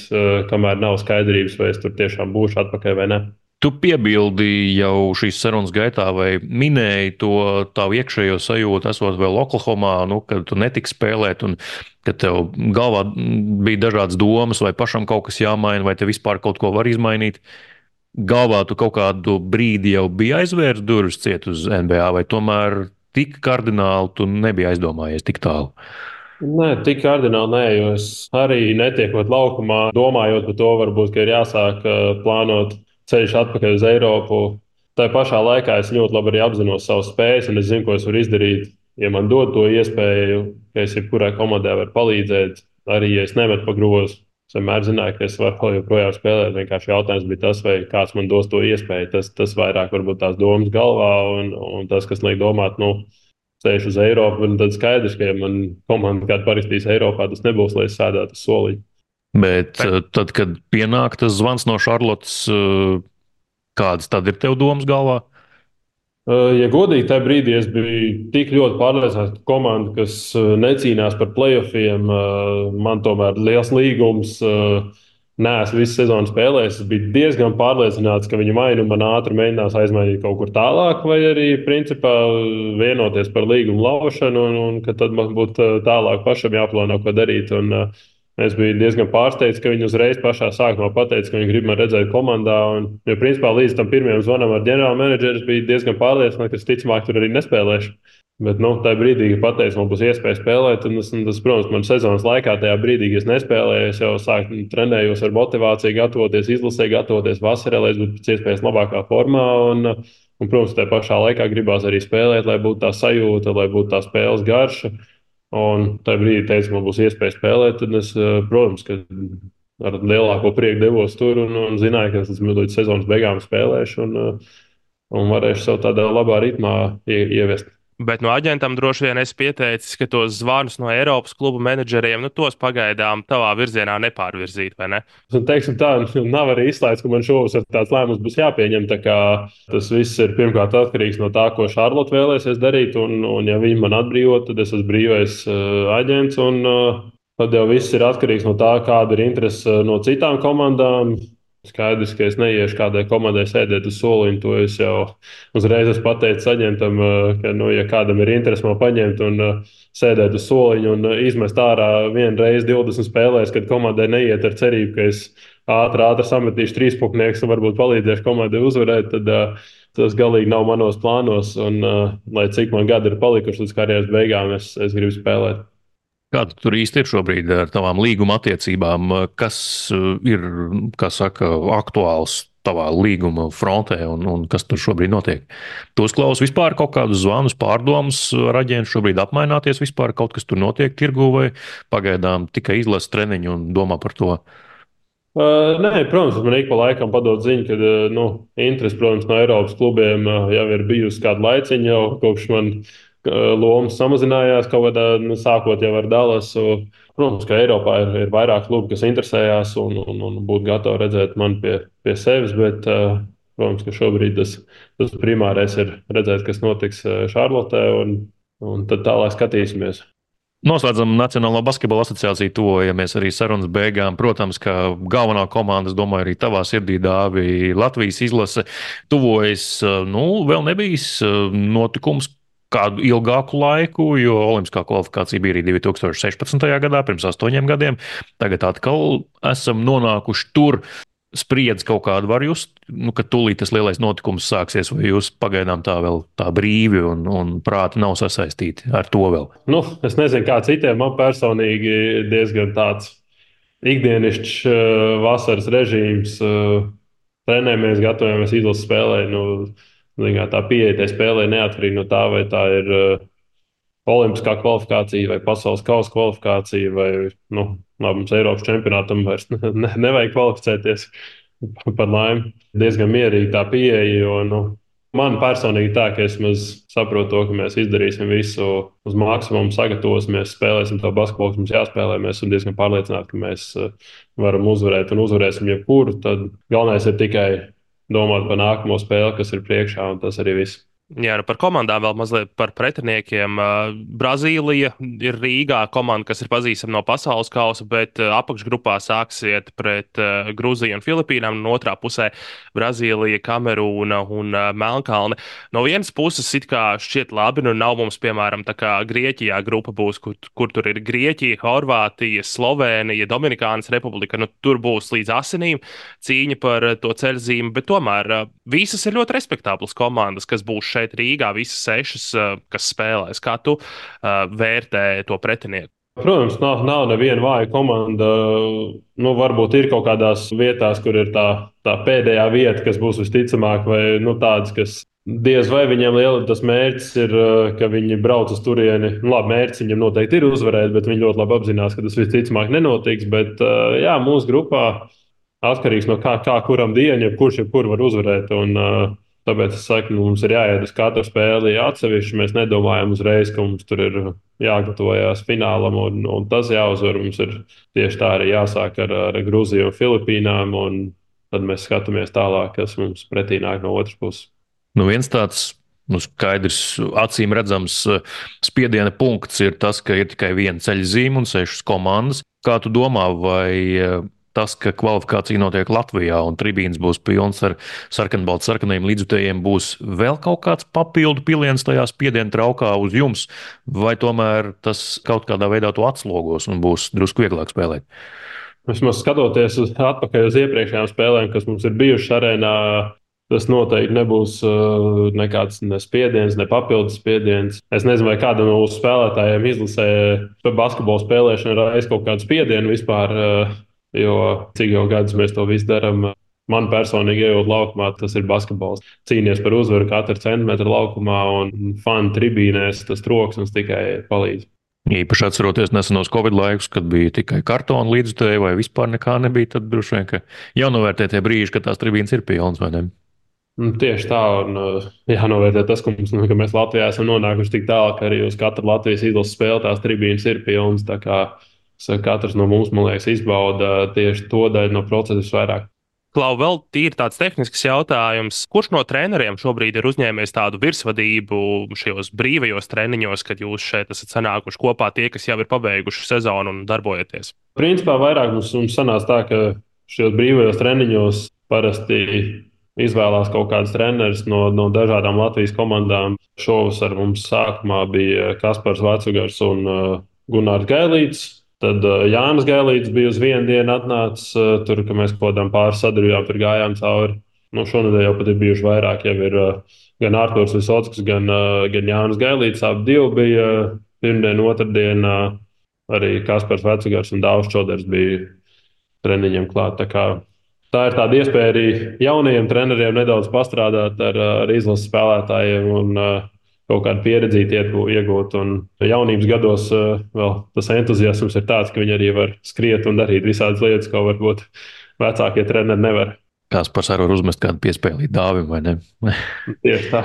kamēr nav skaidrības, vai es tur tiešām būšu atpakaļ vai ne. Tu piebildi jau šīs sarunas gaitā, vai minēji to tavu iekšējo sajūtu, esot vēl Oklahomā, nu, kad tu netiksi spēlēt, un kad tev galvā bija dažādas domas, vai pašam kaut kas jāmaina, vai te vispār kaut ko var izmainīt. Galvā tu kaut kādu brīdi jau biji aizvērs durvis ciet uz N B A, vai tomēr tik kardināli tu nebija aizdomājies tik tālu? Nē, tik kardināli nē, jo es arī netiekot laukumā, domājot par to, varbūt, ka ir jāsāk plānot ceļš atpakaļ uz Eiropu. Tā pašā laikā es ļoti labi arī apzinos savas spējas, un es zinu, ko es varu izdarīt. Ja man dod to iespēju, ka es jebkurai komandai varu palīdzēt, arī ja es nemetu pa grozu, es vienmēr zināju, ka es varu joprojām spēlēt. Vienkārši jautājums bija tas, vai kāds man dos to iespēju. Tas, tas vairāk varbūt tās domas galvā, un, un tas, kas liek domāt, nu, ceļš uz Eiropu, un tad skaidrs, ka ja man komanda kāda parakstīs Eiropā, tas nebūs, lai es sēdētu uz soliņa. Bet Bet, uh, tad, kad pienāk tas zvans no Šarlotes, uh, kādas tad ir tev domas galvā? Uh, Ja godīgi, tajā brīdī es biju tik ļoti pārliecināts, ka komanda, kas uh, necīnās par playoffiem, uh, man tomēr liels līgums. uh, Nē, es visu sezonu spēlēju. Es biju diezgan pārliecināts, ka viņi vai nu man ātri mēģinās aizmainīt kaut kur tālāk, vai arī principā vienoties par līgumu laušanu, un, un ka tad man būtu uh, tālāk pašam jāplāno, ko darīt. Un, uh, Es biju diezgan pārsteigts, ka viņi uzreiz pašā sākumā pateica, ka viņi grib mani redzēt komandā. Un, jo, principā, līdz tam pirmajam zvanam ar ģenerālu menedžeru es biju diezgan pārliecināts, ka es ticamāk tur arī nespēlēšu. Bet, nu, tajā brīdī, kad pateica, man būs iespēja spēlēt, un tas, un tas protams, man sezonas laikā, tajā brīdī, kad es nespēlēju, es jau sāku trenējos ar motivāciju, gatavoties, izlasē, gatavoties vasarā, lai es būtu pēc iespējas labākā formā. Un, un, protams, tajā pašā laikā gribās arī spēlēt, lai būtu tā sajūta, lai būtu tā spēles garša. Un tajā brīdī teica, ka man būs iespēja spēlēt. Tad es, protams, ka ar lielāko prieku devos tur un, un zināju, ka es līdz sezonas beigām spēlēšu un, un varēšu sev tādā labā ritmā ie, ievest. bet no aģentam droši vien esi pieteicis, ka tos zvanus no Eiropas klubu menedžeriem, nu, tos pagaidām tavā virzienā nepārvirzīt, vai ne? Un, teiksim, tā nav arī izslēgts, ka man šovasar tāds lēmums būs jāpieņem. Tas viss ir pirmkārt atkarīgs no tā, ko Šarlote vēlēsies darīt. Un, un ja viņi man atbrīvo, tad es esmu brīvais uh, aģents. Un, uh, tad jau viss ir atkarīgs no tā, kāda ir interese no citām komandām. Skaidrs, ka es neiešu kādai komandai sēdēt uz soliņa. To es jau uzreiz esmu pateicis aģentam, ka, nu, ja kādam ir interese man paņemt un uh, sēdēt uz soliņa un uh, izmest ārā vienu reizi divdesmit spēlēs, kad komandai neiet ar cerību, ka es ātri, ātri sametīšu trīspunktniekus un varbūt palīdzēšu komandai uzvarēt, tad uh, tas galīgi nav manos plānos. Un, uh, lai cik man gadi ir palikuši līdz karjeras beigām, es, es gribu spēlēt. Kāda tur īsti ir šobrīd ar tavām līguma attiecībām? Kas ir, kā saka, aktuāls tavā līguma frontē un, un kas tur šobrīd notiek? Tu uzklausi vispār kaut kādus zvanus, pārdomas ar aģentu, šobrīd apmaināties vispār, kaut kas tur notiek tirgū vai pagaidām tikai izlasa treniņu un domā par to? Uh, nē, protams, man ik pa laikam padod ziņu, ka uh, nu, interese, protams, no Eiropas klubiem uh, jau ir bijusi kādu laiciņu, jau kopš man lomas samazinājās kaut kādā, nu, sākot jau ar Dallasu. Protams, ka Eiropā ir, ir vairāk klubu, kas interesējās un, un, un būtu gatavi redzēt mani pie, pie sevis, bet, uh, protams, ka šobrīd tas, tas primārais ir redzēt, kas notiks Šarlotē, un, un tad tālāk skatīsimies. Noslēdzam Nacionālo basketbola asociāciju, tuvojamies arī sarunas beigām. Protams, ka galvenā komanda, es domāju, arī tavā sirdī dāvi Latvijas izlase, tuvojas, nu, vēl nebijis notikums kādu ilgāku laiku, jo olimpiskā kvalifikācija bija arī divi tūkstoši sešpadsmitajā gadā, pirms astoņiem gadiem. Tagad atkal esam nonākuši tur. Spriedzi kaut kādu var just, nu, ka tūlīt tas lielais notikums sāksies, vai jūs pagaidām tā vēl tā brīvi un, un prāti nav sasaistīti ar to vēl? Nu, es nezinu, kā citiem. Man personīgi diezgan tāds ikdienišķs uh, vasaras režīms. Uh, trenējamies, gatavojamies izlases spēlē. Nu, tā pieeja tai spēlē neatkarīgi no tā, vai tā ir uh, olimpiskā kvalifikācija vai pasaules kausa kvalifikācija, vai nu, mums Eiropas čempionātam vairs ne, ne, nevajag kvalificēties par laimi. Diezgan mierīgi tā pieeja, jo nu, man personīgi tā, ka es saprotu to, ka mēs izdarīsim visu uz maksimumu, sagatavosimies, spēlēsim to basketbolu, kas mums jāspēlē. Mēs esam diezgan pārliecināti, ka mēs varam uzvarēt un uzvarēsim jebkuru. Tad galvenais ir tikai domāt par nākamo spēli, kas ir priekšā, un tas arī viss. Jā, nu par komandām vēl mazliet par pretiniekiem. Brazīlija ir Rīgā komanda, kas ir pazīstama no pasaules kausa, bet apakšgrupā sāksiet pret Grūziju un Filipīnām, un otrā pusē Brazīlija, Kamerūna un Melnkalne. No vienas puses it kā šķiet labi, nu nav mums, piemēram, tā kā Grieķijā grupa būs, kur, kur tur ir Grieķija, Horvātija, Slovēnija, Dominikānas Republika, nu tur būs līdz asinīm cīņa par to ceļzīmi, bet tomēr visas ir ļoti respektāblas komandas, kas būs šeit Rīgā, visas sešas, kas spēlēs. Kā tu uh, vērtē to pretinieku? Protams, nav, nav neviena vāja komanda. Nu, varbūt ir kaut kādās vietās, kur ir tā, tā pēdējā vieta, kas būs visticamāk, vai nu, tādas, kas diez vai viņiem liela tas mērķis ir, ka viņi brauc uz turieni. Nu, labi, mērķis viņam noteikti ir uzvarēt, bet viņi ļoti labi apzinās, ka tas visticamāk nenotiks. Bet jā, mūsu grupā atkarīgs no kā, kā kuram dienu, kurš jebkur var uzvarēt. Un, tāpēc es saku, ka mums ir jāiet uz katru spēli atsevišķi. Mēs nedomājam uzreiz, ka mums tur ir jāgatavojas finālam, un, un tas jāuzvar. Mums ir tieši tā arī jāsāk ar, ar Grūziju un Filipīnām, un tad mēs skatāmies tālāk, kas mums pretī nāk no otras puses. Nu, viens tāds nu, skaidrs, acīm redzams spiediena punkts ir tas, ka ir tikai viena ceļa zīme un sešas komandas. Kā tu domā, vai tas, ka kvalifikācija notiek Latvijā un tribīnes būs pilnas ar sarkanbaltu sarkanajiem līdzjutējiem, būs vēl kaut kāds papildu piliens tajā spiediena traukā uz jums, vai tomēr tas kaut kādā veidā to atslogos un būs drusku vieglāk spēlēt? Vismaz skatoties uz, atpakaļ uz iepriekšējām spēlēm, kas mums ir bijušas arēnā, tas noteikti nebūs uh, nekāds ne spiediens, ne papildus spiediens. Es nezinu, vai kādam no mūsu spēlētājiem izlasē basketbolu spēlēšanu reiz kaut kādu spiedienu vispār, uh, jo cik jau gadus mēs to visu darām. Man personīgi, ejot laukumā, tas ir basketbols. Cīnīties par uzvaru katru centimetru laukumā un fanu tribīnēs, tas troksnis tikai palīdz. Īpaši atceroties nesenos Covid laikus, kad bija tikai kartona līdzjutēji vai vispār nekā nebija, tad droši vien, ka jānovērtē tie brīži, kad tās tribīnes ir pilnas, vai ne? Tieši tā, un jānovērtē tas, ka, mums, ka mēs Latvijā esam nonākuši tik tālu, ka arī uz katru Latvijas izlases spēli tās tribīnes ir pilnas. Tā kā katrs no mums, man liekas, izbauda tieši to daļu no procesa visvairāk. Klau, vēl tīri tāds tehnisks jautājums. Kurš no treneriem šobrīd ir uzņēmies tādu virsvadību šajos brīvajos treniņos, kad jūs šeit esat sanākuši kopā tie, kas jau ir pabeiguši sezonu un darbojaties? Principā vairāk mums, mums sanāca tā, ka šajos brīvajos treniņos parasti izvēlās kaut kāds treneris no, no dažādām Latvijas komandām. Šovasar mums sākumā bija Kaspars Vecugars un uh, Gunārs Gailīts. Tad uh, Jānis Gailīts bija uz vienu dienu atnācis, uh, tur, ka mēs kaut kādām pāris sadarbībām tur gājām cauri. Nu, šonadēļ jau pat ir bijuši vairāk, jau ir uh, gan Artūrs Visockis, gan, uh, gan Jānis Gailīts. Abi divi bija uh, pirmdien, otrdien, uh, arī Kaspars Vecugars un Dāvs Čoders bija treniņiem klāt. Tā, kā, tā ir tāda iespēja arī jaunajiem treneriem nedaudz pastrādāt ar, ar izlases spēlētājiem un uh, kaut kādu pieredzi iegūt. Un jaunības gados uh, vēl tas entuziasms ir tāds, ka viņi arī var skriet un darīt visādas lietas, ko varbūt vecākie treneri nevar. Kaspars arī var uzmest kādu piespēlīt Dāvim, vai ne? Tieši tā,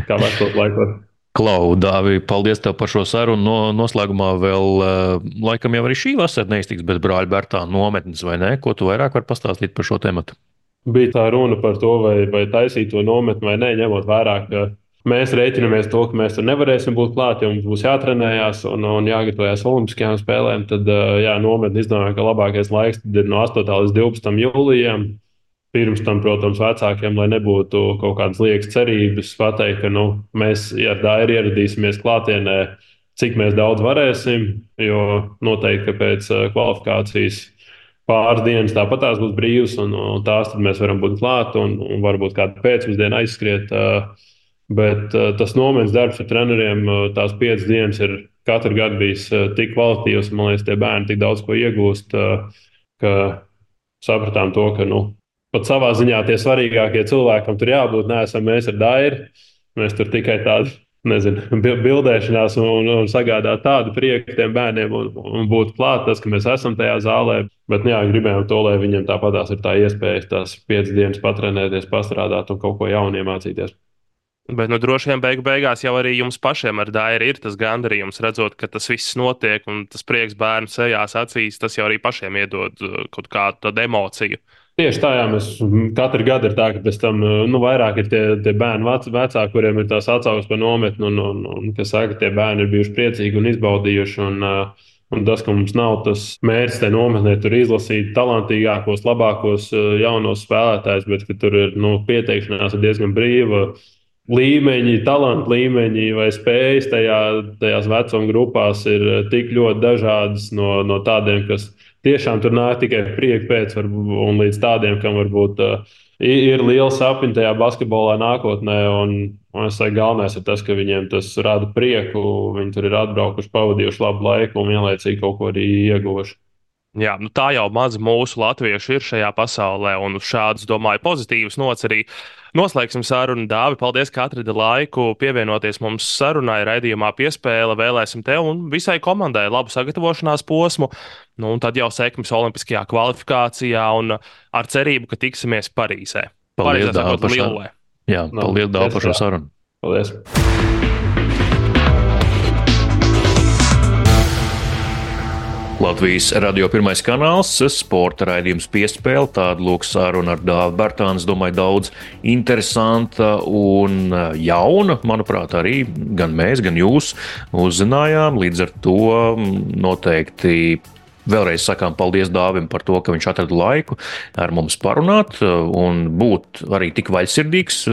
kā vecos laikos. Klau, Dāvi, paldies tev par šo sarunu. No, noslēgumā vēl, uh, laikam jau arī šī vasara neiztiks bez brāļa Bērtāna nometnes, vai ne? Ko tu vairāk vari pastāstīt par šo tematu? Bija tā runa par to, vai, vai taisīt to nometni vai nē, ņemot vērā, ka mēs rēķinamies to, ka mēs tur nevarēsim būt klāt, jo mums būs jātrenējās un, un jāgatavojas Olimpiskajām spēlēm. Tad jā, nometni izdomāja, ka labākais laiks ir no astotā līdz divpadsmitam jūlijam. Pirms tam, protams, vecākiem, lai nebūtu kaut kādas liekas cerības, pateikt, ka nu, mēs ar Dairu ieradīsimies klātienē, cik mēs daudz varēsim, jo noteikti, ka pēc kvalifikācijas pāris dienas tāpat tās būs brīvas, un, un tās tad mēs varam būt klāt un, un varbūt kādu pēcpusdienu aizskriet. Bet tas nometnes darbs ar treneriem, tās piecas dienas ir katru gadu bijis tik kvalitīvs, un man liekas, tie bērni tik daudz ko iegūst, ka sapratām to, ka nu, pat savā ziņā tie svarīgākie cilvēkam tur jābūt, neesam mēs ar Dairu. Mēs tur tikai tādu, nezinu, bildēšanās un, un sagādāt tādu prieku tiem bērniem un, un būt klāt tas, ka mēs esam tajā zālē. Bet jā, gribējām to, lai viņiem tāpatās ir tā iespēja tās piecas dienas patrenēties, pastrādāt un kaut ko jaunu iemācīties. Bet, nu, droši vien beigu beigās jau arī jums pašiem ar Dairu ir tas gandarījums, redzot, ka tas viss notiek un tas prieks bērnu sejās, acīs, tas jau arī pašiem iedod kaut kādu tādu emociju. Tieši tā, jā, mēs katru gadu ir tā, ka pēc tam nu, vairāk ir tie, tie bērni vec, vecāki, kuriem ir tās atsauksmes par nometni, un, un, un kas saka, ka tie bērni ir bijuši priecīgi un izbaudījuši. Un, un tas, ka mums nav tas mērķis tajā nometnē, tur izlasīt talantīgākos, labākos jaunos spēlētājus, bet ka tur ir nu, pieteikšanās ir diezgan brīva. Līmeņi, talantu līmeņi vai spējas tajā, tajās vecuma grupās ir tik ļoti dažādas no, no tādiem, kas tiešām tur nāk tikai prieka pēc, un līdz tādiem, kam varbūt uh, ir liela sapņa tajā basketbolā nākotnē. Un, un es saku, galvenais ir tas, ka viņiem tas rada prieku, viņi tur ir atbraukuši, pavadījuši labu laiku un vienlaicīgi kaut ko arī ieguvuši. Jā, nu tā jau maz mūsu latviešu ir šajā pasaulē, un uz šādas, domāju, pozitīvas nots arī noslēgsim sarunu. Dāvi, paldies, ka atradi laiku pievienoties mums sarunai, raidījumā Piespēle. Vēlēsim tev un visai komandai labu sagatavošanās posmu, nu, un tad jau sekmes olimpiskajā kvalifikācijā un ar cerību, ka tiksimies Parīzē. Paldies, Dāvi, par šo sarunu. Jā, paldies, Dāvi, par šo sarunu. Paldies. Latvijas radio pirmais kanāls, sporta raidījums Piespēle, tāda lūk saruna ar Dāvi Bērtāni, domāju, daudz interesanta un jauna, manuprāt, arī gan mēs, gan jūs uzzinājām, līdz ar to noteikti vēlreiz sakām paldies Dāvim par to, ka viņš atrada laiku ar mums parunāt un būt arī tik vaļsirdīgs,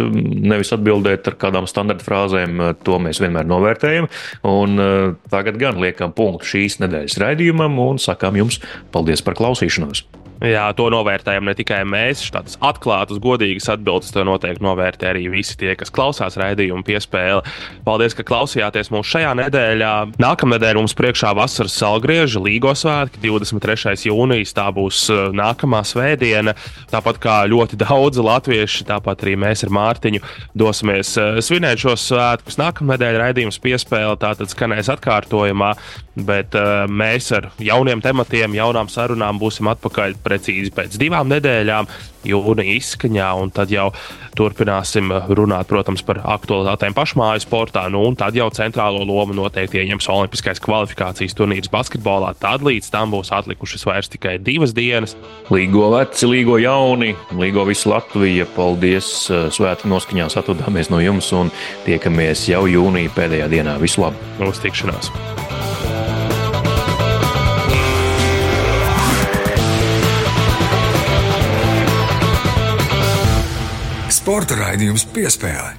nevis atbildēt ar kādām standarta frāzēm, to mēs vienmēr novērtējam. Un tagad gan liekam punktu šīs nedēļas raidījumam un sakām jums paldies par klausīšanos. Jā, to novērtējam ne tikai mēs, tādas atklātas, godīgas atbildes, to noteikti novērtē arī visi tie, kas klausās raidījumu Piespēle. Paldies, ka klausījāties mūs šajā nedēļā. Nākamnedēļ mums priekšā vasaras salgrieža Līgo svētki, divdesmit trešais jūnijas, tā būs nākamā svētdiena. Tāpat kā ļoti daudzi latvieši, tāpat arī mēs ar Mārtiņu dosimies svinēt šos svētkus. Nākamnedēļ raidījums Piespēle tātad skanēs atkārtojumā, bet mēs ar jauniem tematiem, jaunām sarunām būsim atpakaļ precīzi pēc divām nedēļām, jūnija izskaņā, un tad jau turpināsim runāt, protams, par aktualitātēm pašmāju sportā, nu, un tad jau centrālo lomu noteikti ieņems olimpiskais kvalifikācijas turnīrs basketbolā. Tad līdz tam būs atlikušas vairs tikai divas dienas. Līgo veci, līgo jauni, līgo visu Latviju. Paldies, svētku noskaņās atvadāmies no jums un tiekamies jau jūnija pēdējā dienā. Visu labu! Uz tikšanās! Sporta raidījums Piespēle.